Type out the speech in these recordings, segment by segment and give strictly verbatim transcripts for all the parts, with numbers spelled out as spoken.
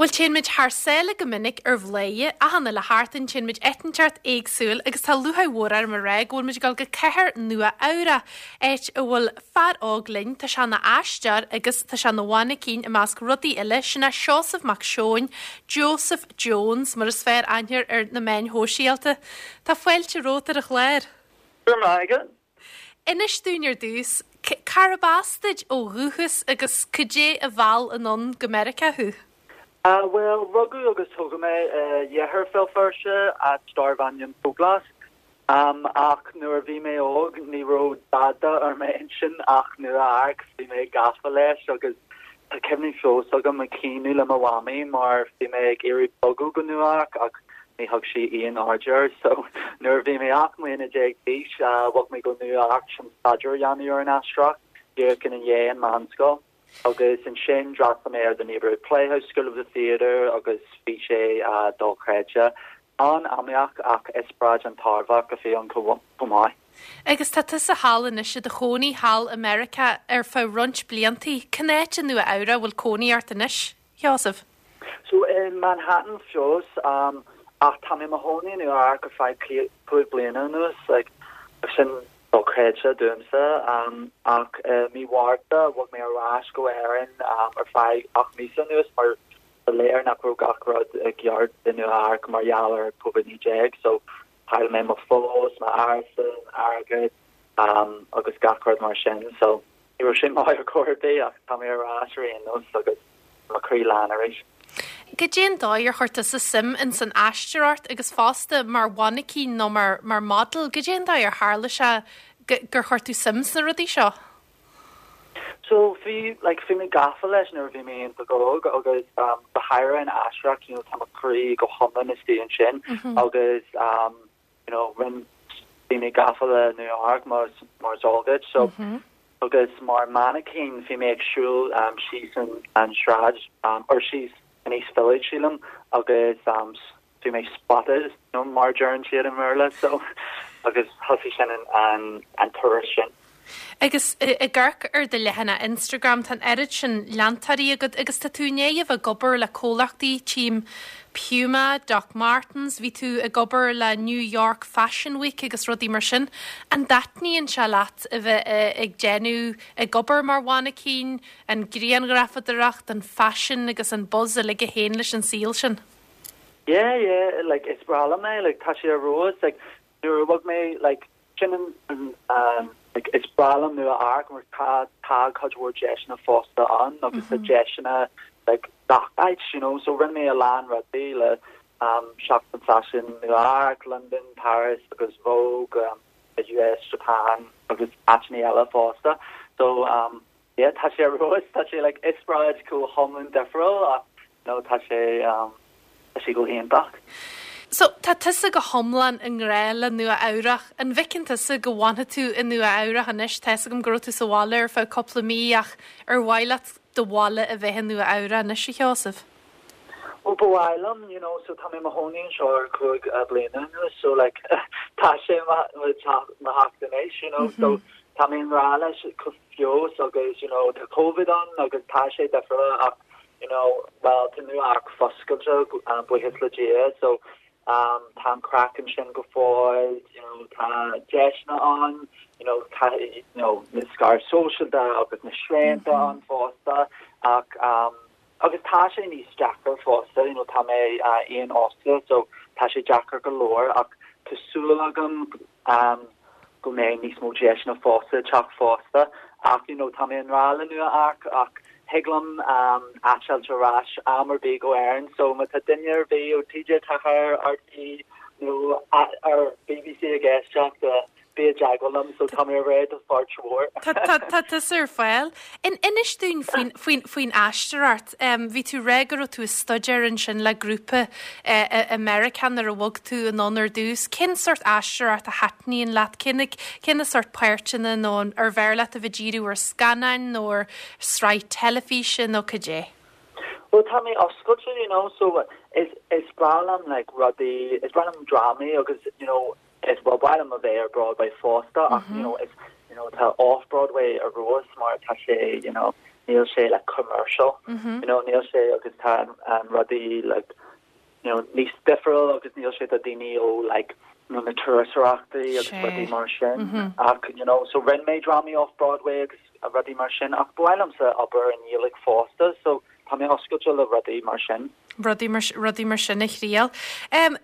Bhuel téann muid thar sáile go minic ar Bhladhaire, achan uile sheachtain téann muid áit inteacht éagsúil agus tá lúcháir mhór orm a rá go bhfuil muid ag dul go cathair Nua Eabhrac, áit a bhfuil fear óg linn, tá sé ina aisteoir agus tá sé ina mhainicín i measc rudaí eile, sin é Seosamh Mac Seoin, Joseph Jones mar is fearr aithne air ar na meáin shóisialta. Tá fáilte romhat ar an chlár. Go raibh maith agat. Inis dúinn ar dtús, cárb as duit ó dhúchas agus cad é a mheall anonn go Meiriceá thú? Uh, well, rugadh agus tógadh mé uh, iarthar Bhéal Feirste áit darb ainm Dúglas. Um, ach nuair a bhí mé óg ní raibh dada ar m'intinn ach Nua Eabhrac bhí mé gafa leis agus tá cuimhní fós agam ag caoineadh le mo mhamaí mar bhí mé ag iarraidh bogadh go Nua Eabhrac ach ní thug sí aon aird air so nuair a bhí mé ocht mbliana déag d'aois uh, bhog mé go Nua Eabhrac chun staidéar a dhéanamh ar an aisteoireacht díreach i ndiaidh an mheánscoil. agus ansin d'fhreastail mé ar the Neighborhood Playhouse School of the Theatre agus bhí sé uh, dochreidte an-iomaíoch ach eispéireas an-tairbheach a bhí ann chomh maith. Agus tá tusa thall anois i do chónaí thall i Meiriceá ar feadh roinnt bliantaí, Cén áit i Nua Eabhrac bhfuil cónaí ort anois, Sheosamh? So in Manhattan fós um, ach tá mé i mo chónaí Nua Eabhrac ar feadh cúig bliana anuas like, sin dochreidte domsa um, ach uh, mí Mhárta bhog mé ar ais go Éirinn um, ar feadh ocht míosa anuas mar ba léir nach raibh gach rud i gceart i Nua Eabhrac mar gheall ar COVID naoi déag so chaill mé mo phost m'árasán airgead um, agus gach rud mar sin so ní raibh sin maith ar chor ar bith ach tá mé ar ais ar aon nós agus mo chroí lán arís. Cad é an dóigh ar chuir tusa suim in san aisteoireacht agus fosta mar mhainicín nó mar mar model, cad é an dóigh ar tharla sé gur chuir tú suim sna rudaí seo? So bhí like bhí mé gafa leis nuair a bhí mé iontach óg agus um, go háirithe an aisteoireacht you know, tá mo chroí go hiomlán istigh ansin mm -hmm. agus um, you know, rin bhí mé gafa le New York mar mar is eol duit so mm -hmm. agus mar mannequin bhí mé ag siúl um, síos an, an sráid um, or síos in East Village sílim agus um, bhí mé spotted no mar a deireann siad i mBéarla so agus thosaigh sin an, an, an turas sin. Agus ag amharc ar do leathanach Instagram tá an oiread sin leantóirí agat agus tá tú néomh ag obair le comhlachtaí Team Puma, Doc Martens, bhí tú ag obair le New York Fashion Week agus rudaí mar sin. An dtaitníonn sé leat a bheith ag déanamh ag obair mar mhainicín, an ghrianghrafadóireacht, an fashion agus an buzz uilig a théann leis an saol sin. Yeah, yeah, like is breá liom é, like tá sé ar fheabhas, like nuair a bhog mé like sin an um, like is breá liom Nua Eabhrac mar tá tá cuid mhór deiseanna fosta ann agus mm -hmm. deiseanna like gach áit you know so rinne mé a lán rudaí le um Seachtain Fashion Nua Eabhrac, London, Paris agus Vogue um, the US, Japan agus áiteanna eile fosta so um yeah tá sé ar fheabhas tá sé like eispéireas go hiomlán difriúil ach no tá sé um tá sé go hiontach. So tá tusa go hiomlán i ngrá le Nua Eabhrac an bhfeiceann tusa go bhfanfaidh tú i Nua Eabhrac anois tá agam go raibh tú sa bhaile ar feadh cúpla mí ach ar mhaith leat do bhaile a bheith i Nua Eabhrac anois a Sheosaimh. Well ba mhaith liom you know so tá mé i mo chónaí anseo ar cúig uh, bliana anuas so like tá sé mo theach anois you know mm -hmm. so tá mé rá leis go fios agus you know tá COVID ann agus tá sé difriúil ach you know well tá Nua Eabhrac foscailte um, buíochas le Dia so um tá an craic ansin go fóill you know tá deiseanna ann you know tá you know na scaradh sóisialta agus na srianta mm -hmm. ann fosta ach um agus tá sé níos deacra fosta you know tá mé uh, aon-fhostaí so tá sé deacair go leor ach tá súil agam um go mbeidh níos mó deiseanna fosta teach fosta ach you know tá mé i ngrá le Nua Eabhrac ach thig liom um eitilt ar ais am ar bith go Éirinn so má tá duine ar bith ó TG Ceathair RTÉ nó ar BBC ag éisteacht bí i dteagmháil liom so tá mé réidh do pháirt mhór. Tá tusa ar fáil. In inis dúinn faoin faoin aisteoireacht, bhí tú rá go raibh tú ag staidéar ansin le grúpa i Meiriceá nuair a bhog tú anonn ar dtús. Cén sórt aisteoireacht a thaitníonn leat cén cén sórt páirteanna nó ar bhreá leat a bheith díriú ar scannáin nó ar sraith teilifíse nó cad é. Well tá mé oscailte you know so is is breá liom like rudaí is breá liom drámaí agus you know is well breá liom a bheith ar Broadway fosta ach you know is you know tá off Broadway ar fheabhas mar tá sé you know níl sé like commercial mm -hmm. you know níl sé agus tá um, rudaí like you know níos difriúil agus níl sé do daoine ó like you know, na turasóireachtaí agus rudaí mar sin mm -hmm. ach you know so rinne mé drámaí off Broadway agus rudaí mar sin ach ba mhaith liomsa obair i nGaeilge fosta so tá mé oscailte le rudaí mar sin. rudaí mar rudaí mar sin a thriail. Um,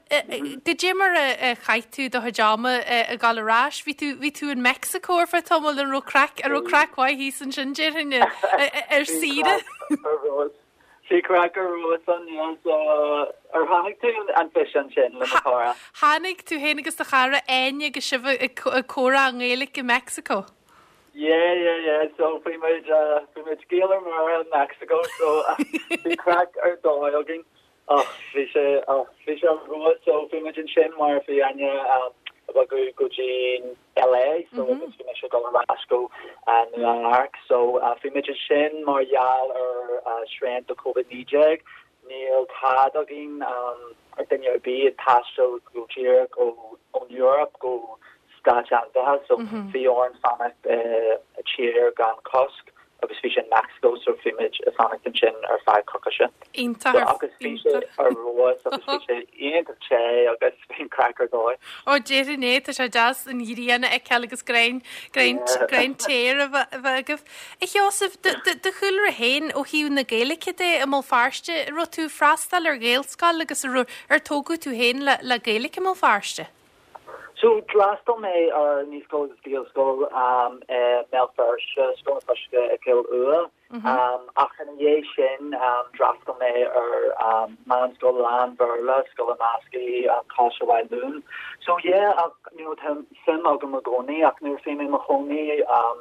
Goidé mar a chaith tú do chuid ama ag dul ar ais, bhí tú bhí tú in Mexico ar feadh tamaill an raibh craic an raibh craic mhaith thíos ansin déarfainn ar saoire. Bhí craic ar an so ar tháinig tú an físeán sin le chara. Tháinig tú féin agus do chara Áine agus sibh ag comhrá i nGaeilge i Mexico. Yeah, yeah, yeah. So bhí muid uh, bhí muid Gael mar in Mexico, so uh, bhí craic ar dóigh againn. Oh, bhí sé oh, bhí sé rua so bhí muid ansin mar bhí Áine um, go go dtí LA so mm -hmm. bhí mise go ar go uh, New York so uh, bhí muid ansin mar gheall ar uh, srianta COVID naoi déag níl cead againn um, ar duine ar bith ag taisteal go díreach ó ón Europe go Stáit Aontaithe so mm-hmm. bhí orainn fanacht uh, i tír gan cosc agus bhí sin Mexico so bhí muid ag fanacht ansin ar feadh coicíse. Iontach agus bhí sé ar rós agus bhí sé iontach te agus bhí craic ar dóigh. Ó déarfainn é tá sé deas an ghrian a fheiceáil agus grian grian te a bheith agaibh. A Sheosaimh do chúlra féin ó thaobh na Gaeilge de i mBéal Feirste raibh tú freastal ar Ghaelscoil agus ar tógadh tú féin le le Gaeilge i mBéal Feirste. So d'fhreastail mé ar naíscoil agus Gaelscoil um, i mBéal Feirste Scoil na Cloiche i Cill Ua. Mm -hmm. um, ach ina dhiaidh sin um, d'fhreastail mé ar um, meánscoil lán-Bhéarla, Scoil an Eascaigh um, Coláiste Mhaigh Nuad. So yeah, ach, you know, tá suim agam i gcónaí ach nuair bhí mé i mo chónaí um,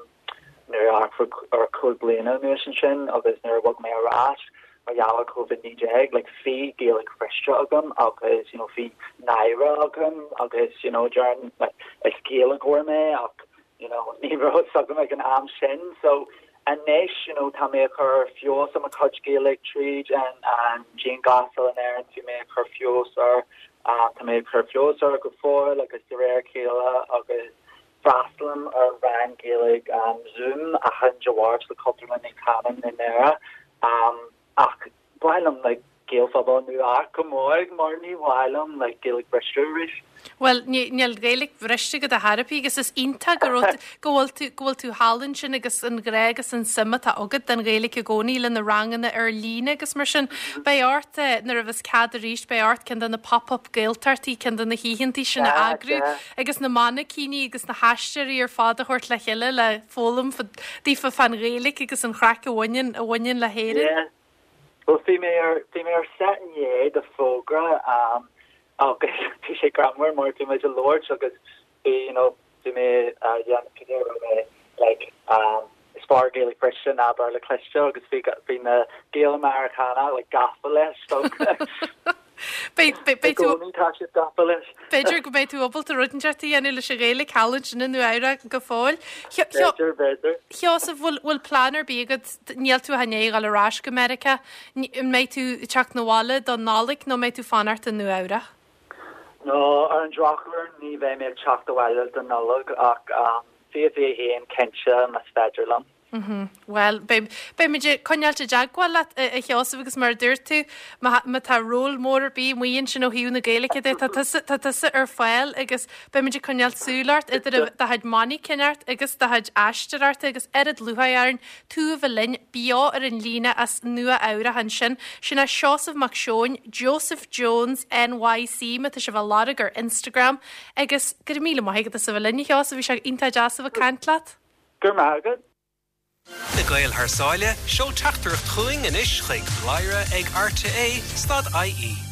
nuair ar cúig bliana anuas ansin agus nuair a bhog mé ar ais mar gheall ar COVID naoi déag, like bhí Gaeilge bhriste agam agus you know bhí náire agam agus you know dearn like is Gaeilgeoir mé ach you know ní raibh fhios agam ag an am sin so anois you know tá mé ag cur feabhas ar mo chuid Gaeilge tríd an an dianghlasáil in Éirinn bhí mé ag cur feabhas air uh, tá mé ag cur feabhas air go fóill agus de réir a chéile agus freastalaim ar rang Gaeilge um, Zoom achan Dé Máirt le Cultúrlann Naomh Caimin i nDoire um, ach ba mhaith liom like Gaelphobal nua go mór mar ní mhaith liom like Gaeilge bhriste arís. Well níl Gaeilge bhriste agat ar chor ar bith agus is iontach go raibh go bhfuil tú go bhfuil tú thall ansin agus an grá agus an suim atá agat don Ghaeilge i gcónaí le na ranganna ar líne agus mar sin beidh ort eh, nuair a bheas cead arís beidh ort ceann de na pop-up Gaeltachtaí ceann de na hoícheantaí sin a eagrú agus na mainicíní agus na haisteoirí ar fad a thabhairt le chéile le foghlaim daofa fán Ghaeilge agus an chraic a bhaineann a bhaineann le hÉirinn. Yeah. Well bhí mé ar bhí mé ar set inné do fógra um, agus bhí sé greannmhar mar bhí mé ag labhairt agus bhí you know bhí mé uh, dhéanamh mé like um, is fearr Gaeilge bhriste ná Béarla cliste agus bhí bhí na Gaeil Meiriceánach like gafa leis so B'fhéidir tá siad gafa leis. B'fhéidir go mbeidh tú ábalta rud inteacht a dhéanamh leis an Ghaeilge thall ansin i Nua-Eabhrac go fóill. B'fhéidir b'fhéidir. Sheosamh bhfuil bhfuil plean ar bith agat níl tú i ndiaidh dul ar ais go Meiriceá, an mbeidh tú ag teacht 'na bhaile don Nollaig nó mbeidh tú fanacht i Nua-Eabhrac? No ar an drochuair ní bheidh mé ag teacht abhaile don Nollaig ach um, fiche fiche haon cinnte más féidir liom. Mm-hmm. Well, beimid ag coinneáil i dteagmháil leat a Sheosaimh agus mar a dúirt tú má tá ról mór ar bith amuigh ansin ó thaobh na Gaeilge de tá tusa ar fáil agus beimid ag coinneáil súil ort idir do chuid mainicíneacht agus do chuid aisteoireachta agus oiread lúcháir orainn tú a bheith linn beo ar an líne as Nua Eabhrac ansin. Sin é Seosamh Mac Seoin, Joseph Jones NYC má tá sibh á lorg ar Instagram agus go raibh míle maith agat as a bheith linn a Sheosaimh bhí sé iontach deas a bheith ag caint leat. Gur maith agat. Na Gaeil thar sáile, seol teachtaireacht chugainn anois chuig bladhaire ag rte stad IE.